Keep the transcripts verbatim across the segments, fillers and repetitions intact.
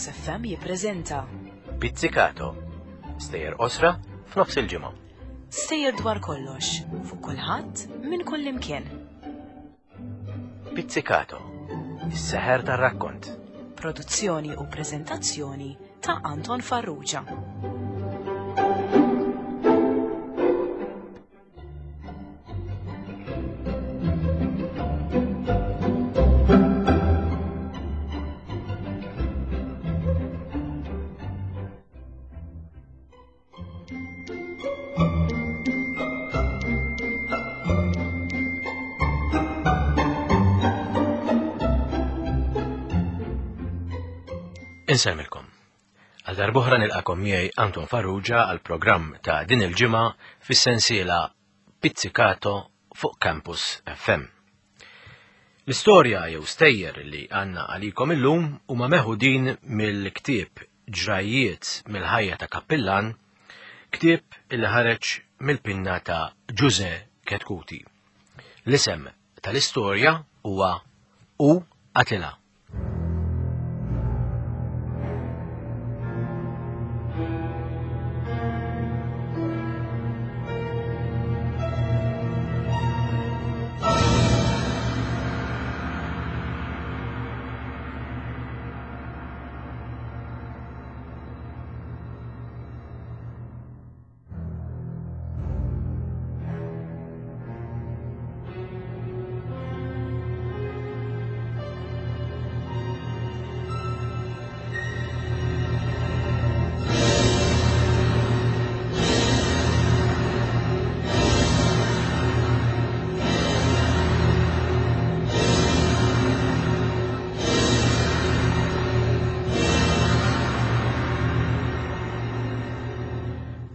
Campus F M jippreżenta Pizzicato. Stejjer qosra f'nofs il-ġimgħa. Stejjer dwar kollox, fuq kulħadd, minn kull imkien. Pizzicato. Is-seħer tar-rakkont. Produzzjoni u preżentazzjoni ta' Anton Farrugia. Insellmilkom. Għal darb'oħra nilqakom miegħi Anton Farrugia għal programm ta' din il-ġimgħa fis-sensiela Pizzicato fuq Campus F M. L-istorja jew stejjer li għandna għalikom illum huma meħudin mill-ktieb Ġrajjiet mill-ħajja ta' Kappillan, ktieb illi ħareġ mill-pinna ta' Ġuże Chetcuti. L-isem tal-istorja huwa U Qatilha.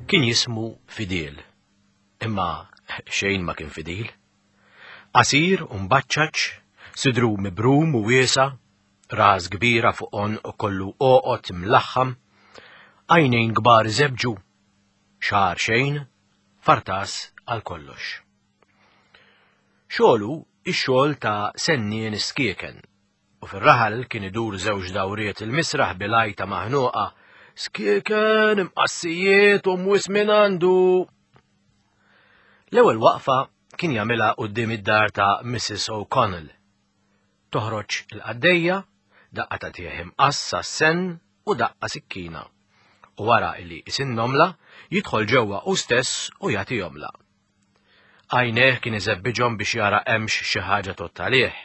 Kien jismu Fidil, imma xejn ma kien fidil. Qasir u mbaċċaċ, sidru mibrum u wiesa, ras kbira fuq għonq u kollu għoqod imlaħħam, għajnejn kbar żebġu, xagħar xejn, fartas għal kollox. Xogħlu ix-xogħol ta' sennien skieken, u fir-raħal kien idur żewġ dawriet il-misraħ bil-għajta maħnuqa, skieken imqassijiet u mwis minn għandu. L-ewwel waqfa kien jagħmilha quddiem id-dar ta' Missus O'Connell. Toħroġ il-qaddejja, daqqa ta' tieħ imqassa s-sen u daqqa sikkina. U wara illi isinnomla, jidħol ġewwa u stess u jagħtihomla. Għajneh kien iżebbiġhom biex jara hemmx xi ħaġa tott għalih,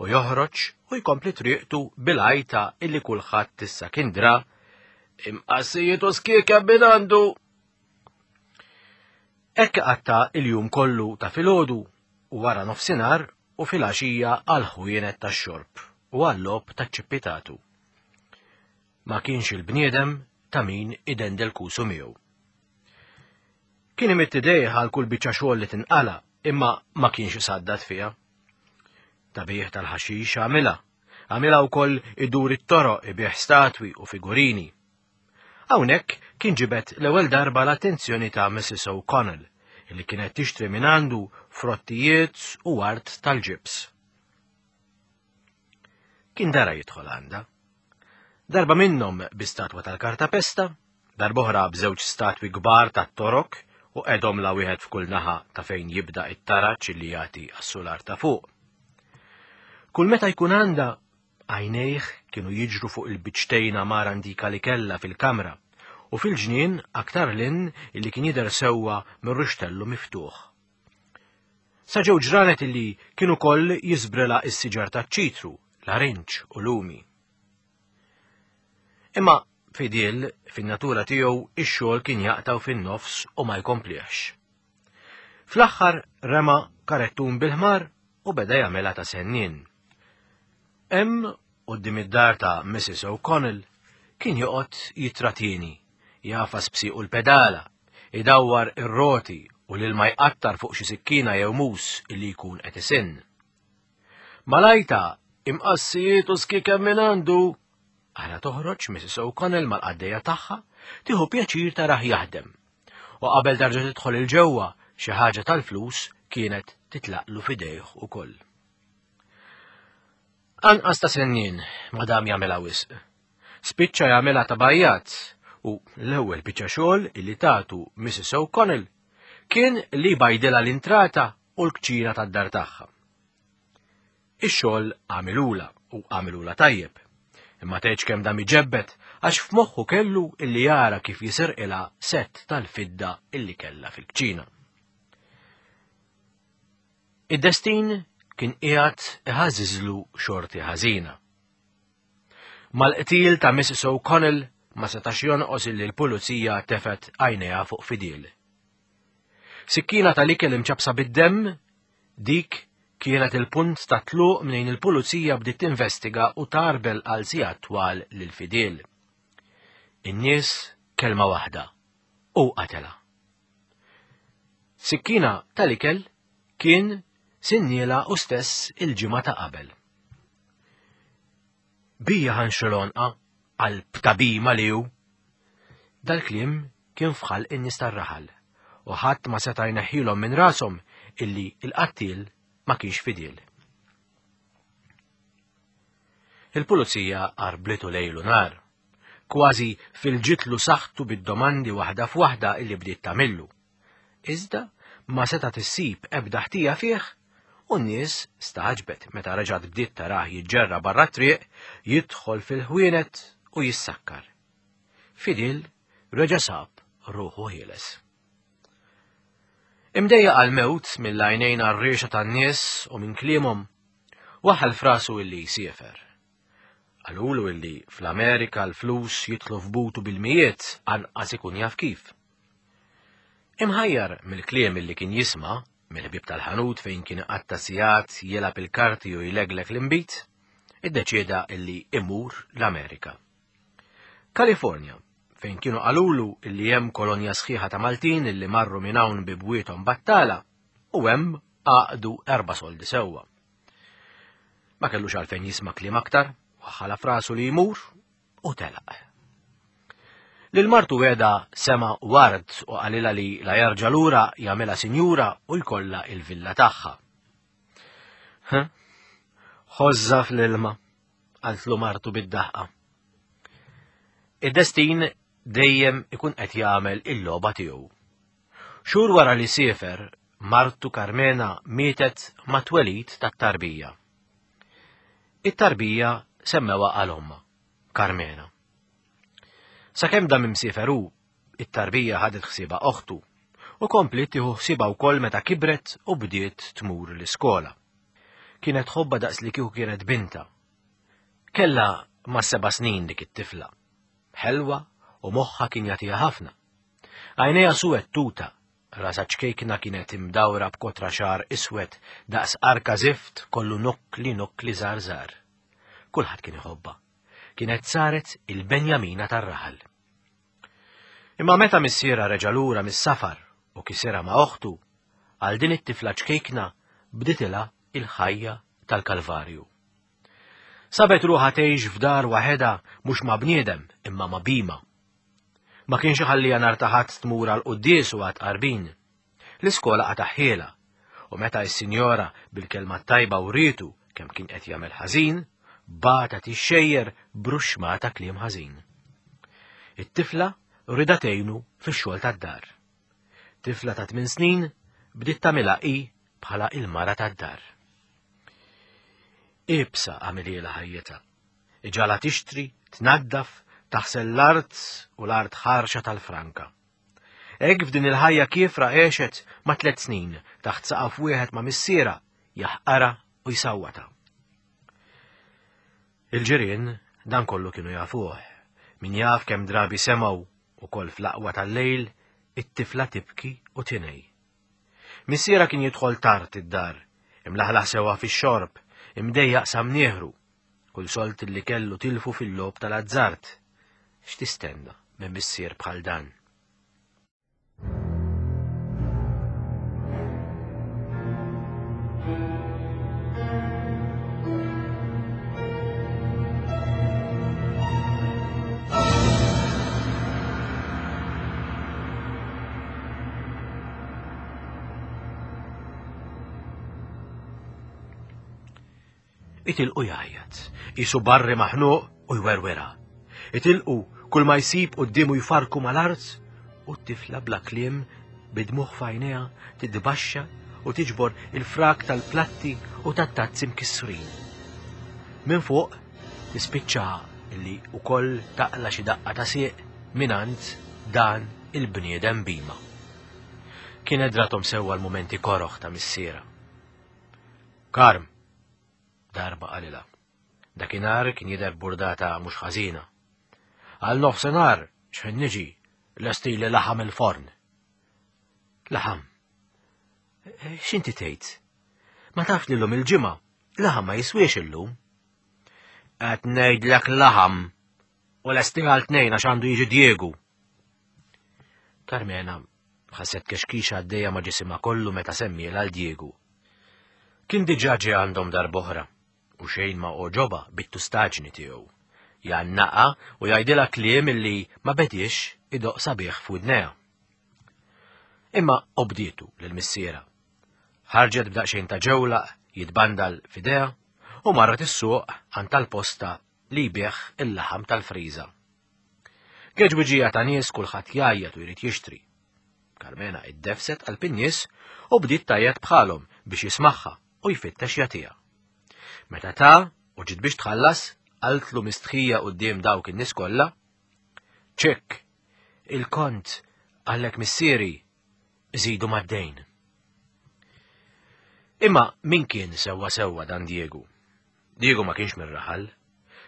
u joħroġ u jkompli triqtu bil-għajta illi kulħadd issa kien dra imqassijiet u skieka minn għandu. Hekk qatta il-jum kollu ta' filgħodu u wara nofsinhar u filgħaxija għal ħwienet tax-xorb u għall-logħob taċ-ċippitatu. Ma kienx il-bniedem ta' min idendel kusu miegħu. Kien imidd idejh għal kull biċċa xogħol li tinqala, imma ma kienx isaddad fiha. Tabih tal-ħaxix għamilha, għamilha wkoll idur it-toroq ibih statwi u figurini. Hawnhekk kien ġibed l-ewwel darba l-attenzjoni ta' Missus O'Connell, li kienet tixtri minn għandu frottijiet u art tal-ġibs. Kien dara jidħol għandha. Darba minnhom bi statwa tal-kartapesta, darb'oħra b'żewġ statwi kbar tat-torok u qedhom la wieħed f'kull naħa ta' fejn jibda it-taraġ li jagħti għas-sular ta' fuq. Kull meta jkun għandha, għajnejh kienu jiġru fuq il-biċtejn għamara antika li kellha fil-kamra u fil-ġnien aktar lin illi kien jidher sewwa mir-ruxtellu miftuħ. Sa ġew ġranet illi kienu koll jiżbrela s-siġar taċ-ċitru, l-arinċ u lumi. Imma Fidil, fin-natura tiegħu, ix-xogħol kien jaqtaw fin-nofs u ma jkompliex. Fl-aħħar rema karettun bil-ħmar u beda jagħmilha ta' sennien. Hemm quddiem id-dar ta' Missus O'Connell kien joqgħod jitratieni, jafas b'siequ l-pedala, idawwar ir-roti u lil ma jqattar fuq xi sikkina jew mus illi jkun qed isinn. Malajta imqassijiet u skieken minn għandu. Aħna toħroġ Missus O'Connell mal-qaddejja tagħha, tieħu pjaċir tarah jaħdem. U qabel darġa tidħol il-ġewwa, xi ħaġa tal-flus kienet titlaqlu f'idejh ukoll. Anqas ta' sennien, madam jagħmilha wisq. Spiċċa jagħmilha ta' bajjat u l-ewwel biċċa xogħol illi tatu Missus O'Connell kien li bajdilha l-intrata u l-kċina tad-dar tagħha. Ix-xogħol għamilula u għamilula tajjeb. Imma tgħidx kemm dam iġebbet għax f'moħħu kellu illi jara kif jisirqilha sett tal-fidda illi kellha fil-kċina. Id-destin kien qiegħed iħażiżlu xorti ħażina. Mal-qtil ta' Missus O'Connell ma setax jonqos illi l-pulizija tefet għajnejha fuq Fidil. Sikkina tal-ikel imċabsa bid-demm, dik kienet il-punt ta' tluq mnejn il-pulizija bdiet tinvestiga u tarbel għal sigħat twal lil Fidil. In-nies kelma waħda u qatela. Sikkina tal-ikel kien sinniela u stess il-ġimgħa ta' qabel. Bija ħanxolonqa għal btabima li hu. Dal-kliem kien fħal in-nies tar-raħal u ħadd ma seta' jneħħilhom minn rashom illi l-qattil ma kienx Fidil. Il-pulizija qarblitu lejlu nar, kważi fil-ġitlu saħtu bid-domandi waħda f'waħda illi bdiet tagħmillu. Iżda ma seta' tissib ebda ħtija fih u n-nies staġbet meta reġgħet bdiet tarah jiġġerra barra t-triq, jidħol fil-ħwienet u jissakkar. Fidil reġa' sab ruħu ħieles. Imdejja għal-mewt mill-għajnejn għar-riexa tan-nies u minn kliemhom, waħal frasu illi jsiefer. Qalulu illi fl-Amerika l-flus jitlu f'butu bil-mijiet anqas ikun jaf kif. Imħajjar mill-kliem illi kien jisma' mill-ħbieb tal-ħanut fejn kien iqatta' sigħat jilgħab il-karti u jleglek l-inbid, iddeċieda illi imur l-Amerika. Kalifornja, fejn kienu qalulu illi hemm kolonja sħiħa ta' Maltin illi marru minn hawn bi bwiethom battala u hemm għaqdu erba' soldi sewwa. Ma kellux għalfejn jisma' kliem aktar, waħħala frasu li jmur u telaq. Lil martu weda sema ward u qalilha li la jerġa' lura jagħmilha sinjura u jkollha il-villa tagħha. Ħożża fl-ilma, qaltlu martu bid-daħqa. Id-destin dejjem ikun qed jagħmel il-logħba tiegħu. Xhur wara li siefer, martu Karmena mietet ma' twelid tat-tarbija. It-tarbija semmewha għal ommha, Karmena. Sakemm dam imsiefer hu, it-tarbija ħadet ħsiebha oħtu u kompliet tieħu ħsiebha wkoll meta kibret u bdiet tmur l-iskola. Kienet tħobbha daqs li kieku kienet binta. Kellha ma' seba' snin dik it-tifla. Ħelwa u moħħha kien jagħtiha ħafna. Għajnejha suwed tuta, rasha ċkejkna kienet imdawra b'kotra xagħar iswed daqs arka zift kollu nokkli nokkli żgħar żgħar. Kulħadd kien iħobbha. Kienet saret il-Benjamina tar-raħal. Imma meta missiera reġa' lura mis-safar u kisirha ma' oħtu, għal din it-tifla ċkejkna bditilha il-ħajja tal-Kalvarju. Sabet ruħha tgħix f'dar waħedha mhux ma' bniedem imma ma' bima. Ma kienx iħalliha nhar ta' ħadd tmur għal quddies u għad qarbin. L-iskola qataħħielha u meta s-sinjora bil-kelma tajba wrietu kemm kien qed jagħmel ħażin, bata tixxejjer bruxma ta' kliem ħażin. It-tifla rida tgħinu fix-xogħol tad-dar. Tifla ta' tmien snin bdiet tagħmilha hi bħala il-mara tad-dar. Ibsa għamilhiela ħajjitha. Iġala tixtri, tnaddaf, taħsel l-art u l-art ħarxa tal-franka. Hekk f'din il-ħajja kiefra għexet ma' tliet snin taħt saqaf wieħed ma' missiera jaħqara u jsawwata. Il-ġirien dan kollu kienu jafuh. Min jaf kemm drabi semgħu ukoll fl-aqwa tal-lejl it-tifla tibki u tinej. Missiera kien jidħol tard id-dar, imlaħlaħ sewwa fix-xorb, imdejjaq sa mnieħru, kull solt li kellu tilfu fil-logħob tal-azzard. X'tistenna minn missier bħal dan? Itilqu jgħajjat, isu barri maħnuq u jwerwera. Itilqu kull ma jsib quddiemu jfarku mal-art u t-tifla bla kliem bid-dmugħ f'għajnejha titbaxxa u tiġbor il-frak tal-platti u tat-tazzi mkissrin. Minn fuq tispiċċa li wkoll taqla xi daqqa ta' sieq mingħand dan il-bniedem bima. Kienet drathom sewwa l-mumenti koroħ ta' missiera. Karm, darba qalilha. Dakinhar kien jidher burdata mhux ħażina. Għal nofsinhar x'ħin niġi lestili laħam il-forn. Laħam. X'inti tgħid? Ma tafx li llum il-ġimgħa laħam ma jiswiex illum. Qed ngħidlek laħam u lesti għal tnejn għax għandu jiġi Diegu. Karmena ħasset kexkixa għaddejja ma' ġisimha kollu meta semmielha għal Diegu. Kien diġà ġie għandhom darb'oħra u xejn ma għoġobha bit-tustaġni tiegħu. Jgħannaqa u jgħidilha kliem illi ma bediex idoq sabiħ f'widnejha. Imma obdietu lil missiera. Ħarġet b'daqsxejn ta' ġewlaq jitbandal f'idejha u marret is-suq għand tal-posta li jbigħ il-laħam tal-friża. Geġwiġija ta' nies kulħadd jgħajjat u jrid jixtri. Karmena iddefset għal in-nies u bdiet tgħajjat bħalhom biex jismagħha u jfittex jagħtiha. Meta ta' u ġiet biex tħallas, qaltlu mistħija quddiem dawk in-nies kollha. Ċekk, il-kont għallek missieri żidu mad-dejn. Imma min kien sewwa sewwa dan Diegu? Diegu ma kienx mir-raħal.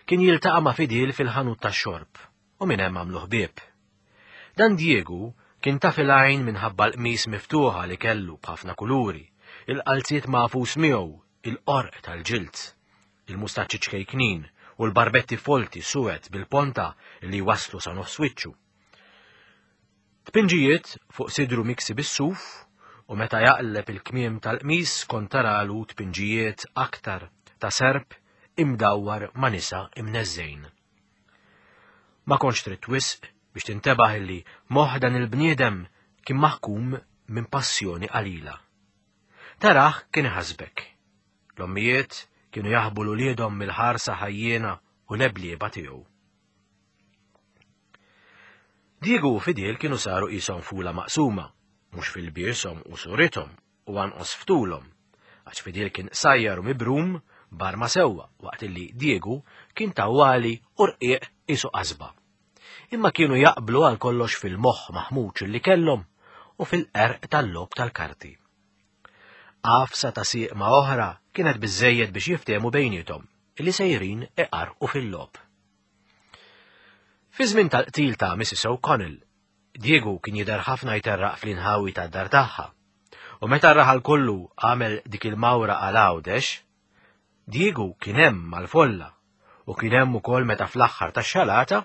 Kien jiltaqa' ma' Fidil fil-ħanut tax-xorb u minn hemm għamlu ħbieb. Dan Diegu kien ta' fil-għajn minħabba l-qmis miftuħa li kellu b'ħafna kuluri, il-qalziet magħfus miegħu, il-qorq tal-ġild, il-mustaċċi ċkejknin u l-barbetti folti suwed bil-ponta li waslu sa nofs wiċċu. Tpinġijiet fuq sidru miksi bis-suf u meta jaqleb il-kmiem tal-qmis kont taralu tpinġijiet aktar ta' serp imdawwar ma' nisa imneżżejn. Ma kontx trid wisq biex tintebaħ illi moħħ dan il-bniedem kien maħkum minn passjoni qalila. Taraħ kien iħasbek. L-ommijiet kienu jaħbu l-uliedhom mill-ħarsa ħajjiena u leblieba tiegħu. Diegu u Fidil kienu saru qishom fula maqsuma, mhux fil-biershom u surithom u anqos ftulhom, għax Fidil kien qsajjar u mibrum barma sewwa waqt illi Diegu kien tawwali u rqiq qisu qasba. Imma kienu jaqblu għal kollox fil-moħħ maħmuġ li kellhom u fil-qerq tal-logħob tal-karti. Għafsa ta' sieq ma' oħra kienet biżżejjed biex jiftehmu bejniethom illi sejrin iqarqu fil-logħob. Fi żmien tal-qtil ta' Missus O'Connell, Diegu kien jidher ħafna jterraq fl-inħawi tad-dar tagħha. U meta r-raħal kollu għamel dik il-mawra għal Għawdex, Diegu kien hemm mal-folla u kien hemm ukoll meta fl-aħħar tax-xalata,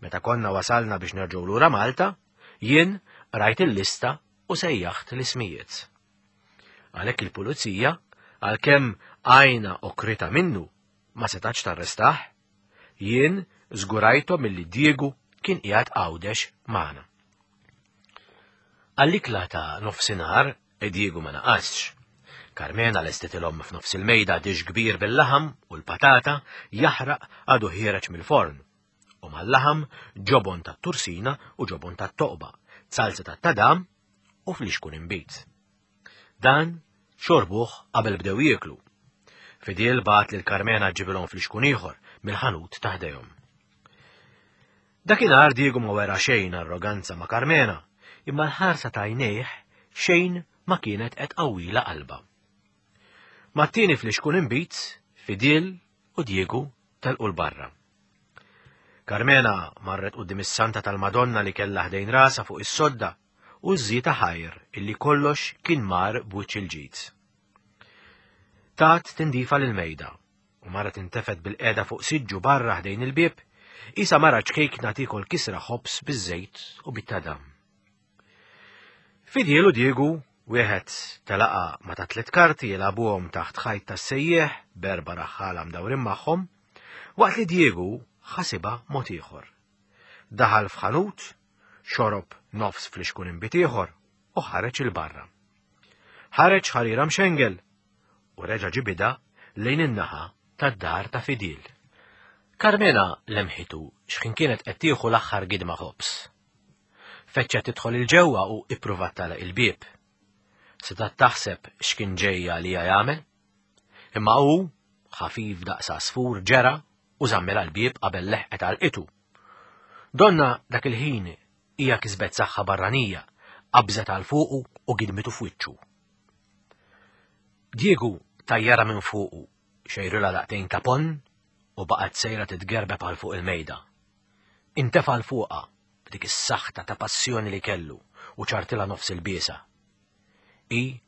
meta konna wasalna biex nerġgħu lura Malta, jien rajt il-lista u sejjaħt l-ismijiet. Għalhekk il-pulizija, għalkemm għajna okrita minnu, ma setax tarrestah, jien żgurajthom milli Diegu kien qiegħed Għawdex magħna. Għall-ikla ta' nofsinhar Diegu ma naqasx. Karmena lestitilhom f'nofs il-mejda dish kbir bil-laħam u l-patata jaħraq għadu ħiereġ mill-forn. U mal-laħam ġobon tat-tursina u ġobon tat-toqba, salsa tat-tadam u flixkun inbid. Dan xorbuh qabel bdew jieklu. Fidil bagħat lil Karmena ġibilhom flixkun ieħor mill-ħanut ta' ħdejhom. Dakinhar Diegu ma wera xejn arroganza ma' Karmena, imma l-ħarsa ta' għajnejh xejn ma kienet qed qawwila qalba. Mat-tieni flixkun inbid, Fidil u Diegu telqu l-barra. Karmena marret quddiem is-Santa tal-Madonna li kellha ħdejn rasha fuq is-sodda u żżita ħajr illi kollox kien mar b'wiċċ il-ġid. Tat tindifa lil-mejda u mara tintefet bil-qeda fuq siġġu barra ħdejn il-bieb, isa mara ċkejkna tiekol kisra ħobż biż-żejt u bit-tadam. Fidil u Diegu wieħed telaqa ma ta' tliet karti jilagħbuhom taħt ħajt tas-sejjieħ b'erba' raħħala mdawrin magħhom, waqt li Diegu ħasibha mod ieħor. Daħal f'ħanut, xorob nofs flixkun inbid ieħor u ħareġ il-barra. Ħareġ ħarira mxengel u reġa' ġibida lejn in-naħa tad-dar ta' Fidil. Karmena lemħitu x'ħin kienet qed tieħu l-aħħar gidma ħobż. Feċċa tidħol il-ġewwa u ippruvat tagħlaq il-bieb. Setgħet taħseb x'kien ġejja li jagħmel. Imma hu ħafif daqs għasfur ġera u żammilha l-bieb qabel leħqet għalqitu. Donna dak il-ħin hija kisbet saħħa barranija, qabżet għal fuqu u gidmitu f'wiċċu. Diego tajjara minn fuqu, xejrilha daqtejn ta' ponn u baqgħet sejra titgerbeb għal fuq il-mejda. Intefa' 'l fuqha b'dik is-saħta ta' passjoni li kellu u ċartilha nofs il-biesa. I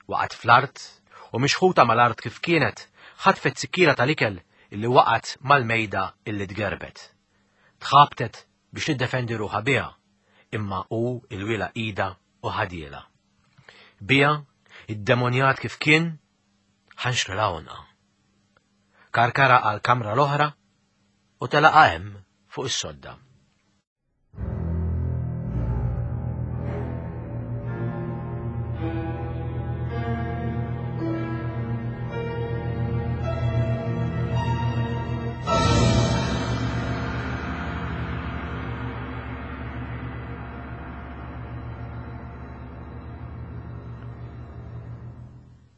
waqgħet fl-art u mixħuta mal-art kif kienet ħatfet sikkira tal-ikel illi waqgħet mal-mejda illi tgerbet. Tħabtet biex tiddefendi ruħha biha, imma hu ilwielha idha u ħadielha. Biha, id-demonjat kif kien, ħanxrilha għonqha. Karkara għal kamra l-oħra u telaqa hemm fuq is-sodda.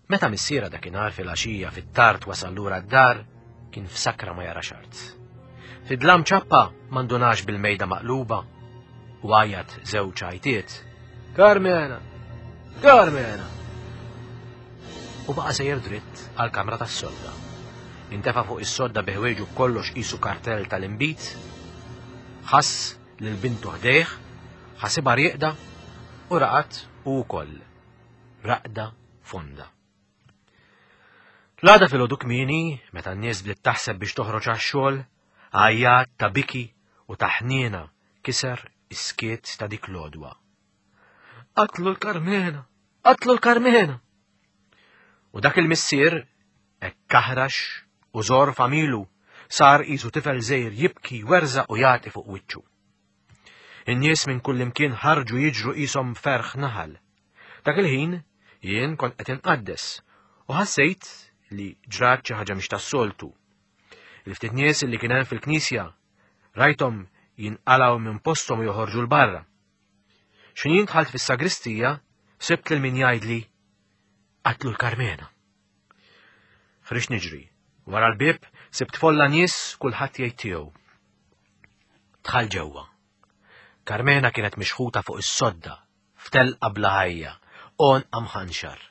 Meta missiera dakinhar fil-għaxija fit-tard wasal lura d-dar, kien f'sakra ma jara art. Fid-dlam ċappa m'għandunax bil-mejda maqluba u għajat żewġ għajtiet. Karmena! Karmena! U baqa' sejjer dritt għall-kamra tas-sodda. Intefa' fuq is-sodda bi ħwejġu b'kollox qisu kartell tal-inbid, ħass lil bintu ħdejh, ħasibha rieqda u raqad u wkoll raqda fonda. L-għada filgħodu kmieni, meta n-nies bdiet taħseb biex toħroġ għax-xogħol, għajjat ta' biki u ta' ħniena kiser is-skiet ta' dik l-għodwa. Qatlu l-Karmena! Qatlu l-Karmena! U dak il-missier, hekk aħrax u żor familu, sar qisu tifel żgħir jibki, jwerżaq u jagħti fuq wiċċu. In-nies minn kullimkien ħarġu jiġru qishom ferħ naħal. Dak il-ħin jien kont qed inqaddes u ħassejt li ġrat xi ħaġa mhix tas-soltu. Il-ftit nies li kien hemm fil-knisja rajthom jinqalgħu minn posthom u joħorġu 'l barra. X'ħin jien dħalt fis-sagristija sibt lil min jgħidli qatlu l-Karmena. Ħriġt niġri. Wara l-bieb sibt folla nies kulħadd jgħid tiegħu. Dħal ġewwa. Karmena kienet mixħuta fuq is-sodda, f'telqa bla ħajja, għonqha mħanxar.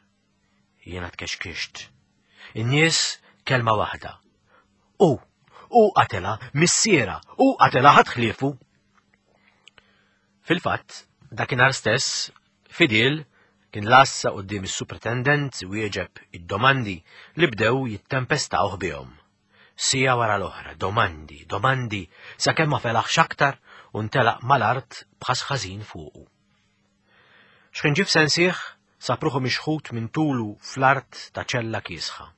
Jiena tkexkixt. In-nies kelma waħda. U, u qatelha, missiera, u qatelha ħadd ħliefu. Fil-fatt, dakinhar stess, Fidil kien lassa quddiem is-supretendent wieġeb id-domandi li bdew jittempestawh bihom. Sija wara l-oħra, domandi, domandi, sakemm ma felaħx aktar u ntelaq mal-art b'ħas ħażin fuqu. X'ħin ġie f'sensih, sab ruħu mixħut minn tulu fl-art ta' ċella kiesħa.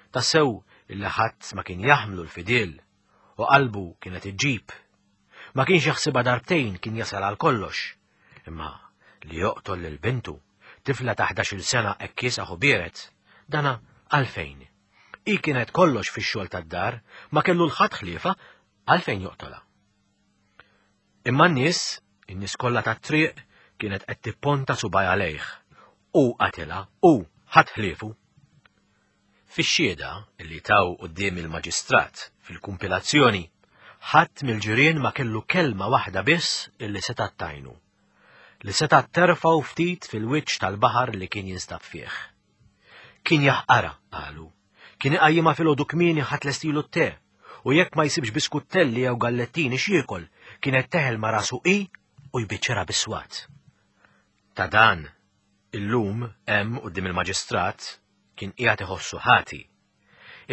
Tassew illi ħadd ma kien jaħmlu l-Fidil u qalbu kienet iġġib. Ma kienx jaħsibha darbtejn kien jasal għal kollox, imma li joqtol lil bintu, tifla ta' ħdax-il sena hekk kiesaħ u biered, dana għalfejn. Hi kienet kollox fix-xogħol tad-dar, ma kellu l-ħadd ħliefa għalfejn joqtolha. Imma n-nies, in-nies kollha tat-triq kienet qed tipponta subaj għalejh. U qatilha, u ħadd ħliefu. Fix-xhieda li taw quddiem il-maġistrat fil-kumpilazzjoni, ħadd mill-ġirien ma kellu kelma waħda biss illi setgħet tajnu, li setgħet terfgħu ftit fil-wiċċ tal-baħar li kien jinstab fih. Kien jaħqara, qalu, kien iqajjimha filgħodu kmieni ħadd lestilu t-te, u jekk ma jsibx biskuttelli jew gallettini x'jiekol, kienet teħel ma' rasu hi u jbiċċerha bis-swat. Ta' dan, illum hemm quddiem il-maġistrat kien qiegħed iħossu ħati.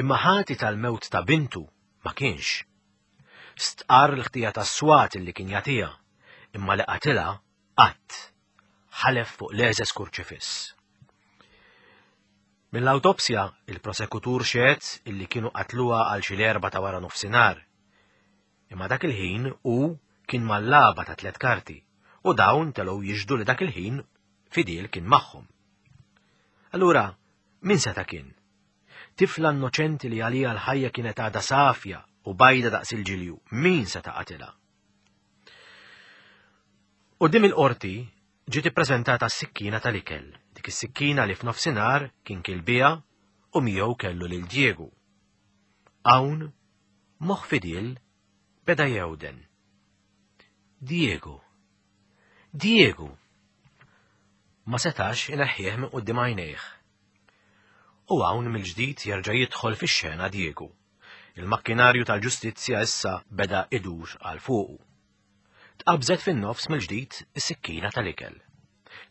Imma ħati tal-mewt ta' bintu ma kienx. Stqarr l-ħtija tas-swat li kien jagħtiha, imma li qatilha qatt. Ħalef fuq l-eżes kurċifiss. Mill-awtopsja, il-prosekutur xehed illi kienu qatluha għal xi l-erba' ta' wara nofsinhar. Imma dak il-ħin hu kien mal-laba ta' tliet karti u dawn telgħu jixhdu li dak il-ħin Fidil kien magħhom. Allura, min seta' kien? Tifla innoċenti li għalija l-ħajja kienet għadha safja u bajda daqs il-ġilju, min seta' qatilha? Quddiem il-qorti ġiet ippreżentata s-sikkina tal-ikel, dik is-sikkina li f'nofsinhar kien kiel biha u miegħu kellu lil Diego. Hawn moħħ Fidil beda jewden. Diego. Diego. Ma setax ineħħih minn quddiem għajnejh. U hawn mill-ġdid jerġa' jidħol fix-xena Diego. Il-makkinarju tal-ġustizzja issa beda idur għal fuqu. Tqabżet fin-nofs mill-ġdid is-sikkina tal-ikel.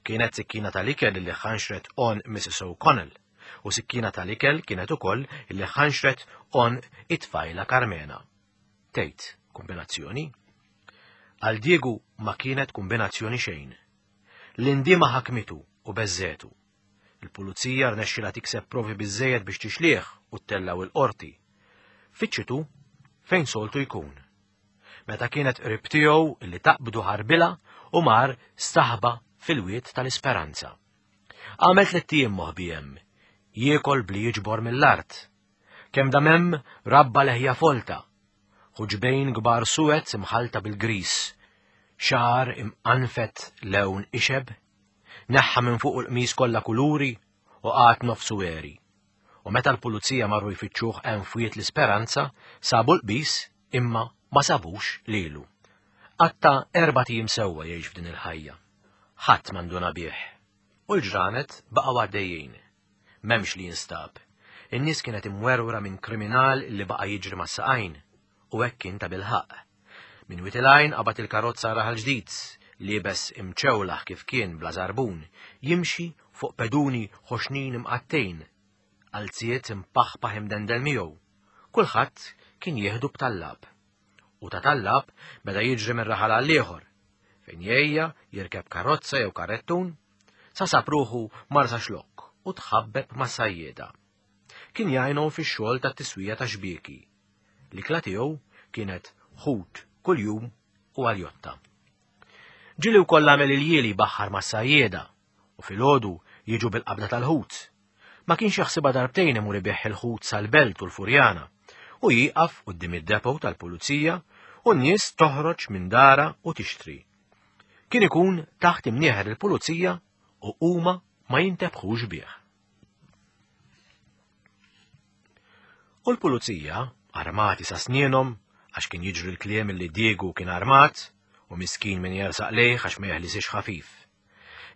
Kienet sikkina tal-ikel li ħanxret on Missus O'Connell u sikkina tal-ikel kienet ukoll li ħanxret on it-tfajla Carmena. Tgħid, kombinazzjoni? Għal Diego ma kienet kombinazzjoni xejn. L-indiema ħakmitu u beżżetu. Il-pulizija rnexxilha tikseb provi biżżejjed biex tixlih u ttellaw il-qorti. Fittxitu fejn soltu jkun. Meta kienet qrib tiegħu li taqbdu ħarbilha u mar staħba fil-wied tal-Isperanza. Għamel tliet ijiem moħbi hemm, jiekol bli jiġbor mill-art. Kemm dam hemm rabba leħja folta, ħuġbejn kbar suwed imħalta bil-gris, xagħar imqanfet lewn ixeb, neħħa minn fuq il-qmis kollha kuluri u qagħad nofsu għeri. U meta l-pulizija marru jfittxuh hemm f'Wied l-Isperanza, sabu l-qbis imma ma sabux lilu. Qatta' erbat ijiem sewwa jgħix f'din il-ħajja. Ħadd m'għanduna bih. U l-ġranet baqgħu għaddejjin. M'hemmx li jinstab. In-nies kienet imwerwra minn kriminal li baqa' jiġri mas-saqajn. U hekk kien ta' bilħaqq. Minn Wied il-Għajn qabad il-karozza Raħal Ġdid, liebes imċewlaħ kif kien bla żarbun, jimxi fuq peduni ħoxnin imqattejn, qalziet impaħpaħ imdendel miegħu. Kulħadd kien jieħdu b'tallab. U ta' tallab beda jiġri minn raħal għal ieħor, fejn jgħejja jirkeb karozza jew karrettun, sa sab ruħu Marsaxlokk u tħabbeb ma' sajjieda. Kien jgħinhom fix-xogħol tat-tiswija ta' xbieki. L-ikla tiegħu kienet ħut kuljum u għaljotta. Ġieli wkoll għamel iljieli baħħar ma' sajjieda u filgħodu jiġu bil-qabda tal-ħut. Ma kienx jaħsibha darbtejn imur ibigħ il-ħut sal-Belt u l-Furjana u jieqaf quddiem id-depot tal-pulizija u n-nies toħroġ minn dara u tixtri. Kien ikun taħt imnieħer il-pulizija u huma ma jintebħux bih. U l-pulizija, armati sa snienhom, għax kien jiġri l-kliem li Diego kien armat u miskin min jersaq lejh għax ma jeħlisix ħafif.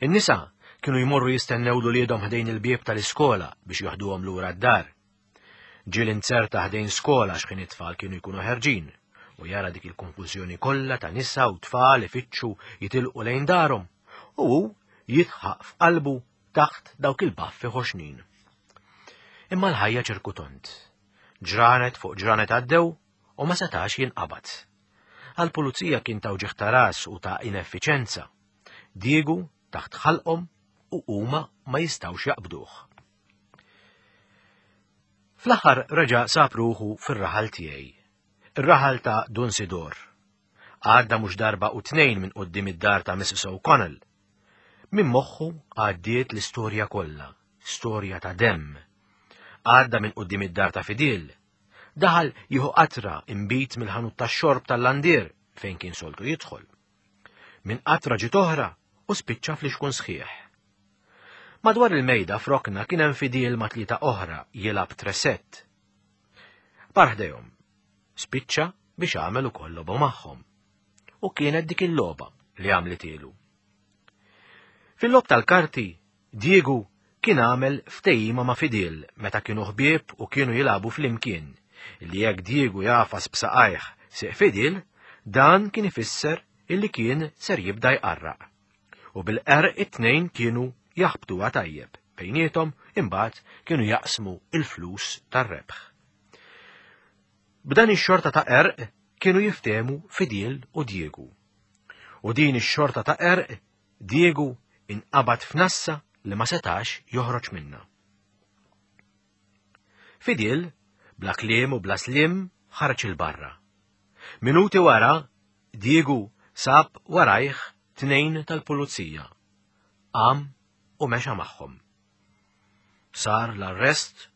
In-nisa kienu jmorru jistennew l-uliedhom ħdejn il-bieb tal-iskola biex joħduhom lura d-dar. Ġiel inzerta ħdejn skola x'ħin it-tfal kienu jkunu ħerġin u jara dik il-konfużjoni kollha ta' nisa u tfal ifittxu jitilqu lejn darhom u hu jitħaq f'qalbu taħt dawk il-baffi ħoxnin. Imma l-ħajja ċirkutont. Ġranet fuq ġranet għaddew u ma setax jinqabad. Għal-pulizija kien ta' uġigħ ta' ras u ta' ineffiċenza. Diego taħt ħalqhom u huma ma jistgħux jaqbduh. Fl-aħħar reġa' sab ruħu fir-raħal tiegħi, ir-raħal ta' Dun Sidor. Għadda mhux darba u tnejn minn quddiem id-dar ta' Missus O'Connell. Minn moħħu għaddiet l-istorja kollha, storja ta' demm. Għadda minn quddiem id-dar ta' Fidil. Daħal jieħu qatra imbit mill-ħanut tax-xorb tal-landier fejn kien soltu jidħol. Minn qatra ġiet oħra u spiċċa fl-ixkun sħiħ. Madwar il-mejda f'rokna kien hemm Fidil ma' tlieta oħra jilgħab tresett. Mar ħdejhom, spiċċa biex għamel ukoll logħba magħhom. U kienet dik il-logħba li għamlitilu. Fil-logħob tal-karti, Diego kien għamel ftehima ma' Fidil meta kienu ħbieb u kienu jilagħbu flimkien, li jekk Diego jafas b'saqajh sieq Fidil, dan kien ifisser illi kien ser jibda jqarraq. U bil-qerq it-tnejn kienu jaħbtuha tajjeb, bejniethom imbagħad kienu jaqsmu il-flus tar-rebħ. B'dan ix-xorta ta' qerq kienu jiftehmu Fidil u Diego. U din ix-xorta ta' qerq Diego inqabad f'nassa li ma setax joħroġ minnha. Fidil, bla kliem u bla slim, ħareġ il-barra. Minuti wara, Diego sab warajh tnejn tal-pulizija. Qam u mexa magħhom. Sar l-arrest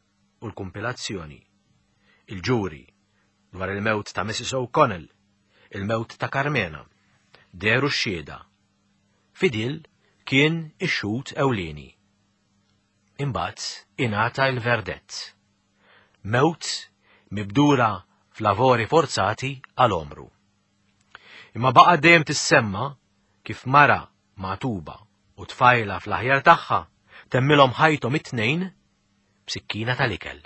u l-kumpilazzjoni. Il-ġuri dwar il-mewt ta' Missus O'Connell, il-mewt ta' Carmena, dehru x-xhieda. Fidil kien ix-xhud ewlieni. Imbagħad ingħata l-verdett. Mewt mibdura f'lavori forzati għal omru. Imma baqa' dejjem tissemma kif mara matuba u tfajla fl-aħjar tagħha temmilhom ħajthom it-tnejn b'sikkina tal-ikel.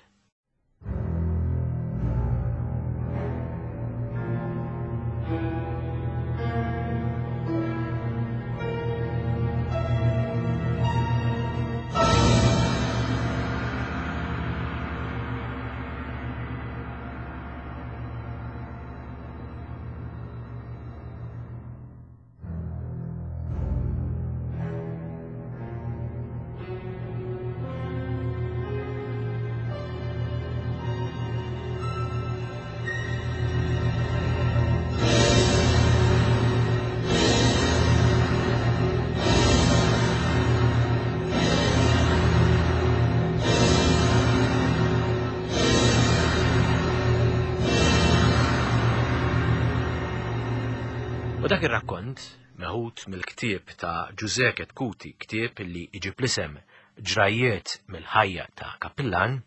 U dak ir-rakkont, meħud mill-ktieb ta' Ġużè Chetcuti, ktieb li iġib l-isem Ġrajiet mill-ħajja ta' Kappillan,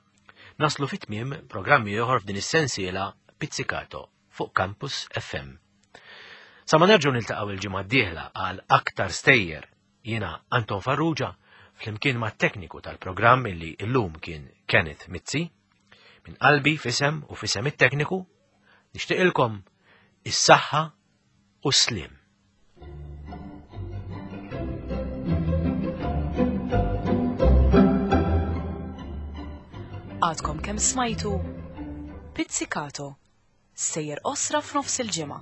naslu fit-tmiem programmi ieħor f'din is-sensiela Pizzicato fuq Campus F M. Sa ma nerġgħu niltaqgħu il-ġimgħa d-dieħla għal aktar stejjer, jiena Anton Farrugia flimkien mat-tekniku tal-programm illi llum kien Kenneth Mizzi, minn qalbi fisem u fisem it-tekniku, nixtieqilkom is-saħħa u s-slim. Għadkom kemm smajtu Pizzicato, sejjer osra f'nofs il-ġimgħa.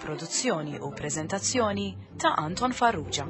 Produzzjoni u preżentazzjoni ta' Anton Farrugia.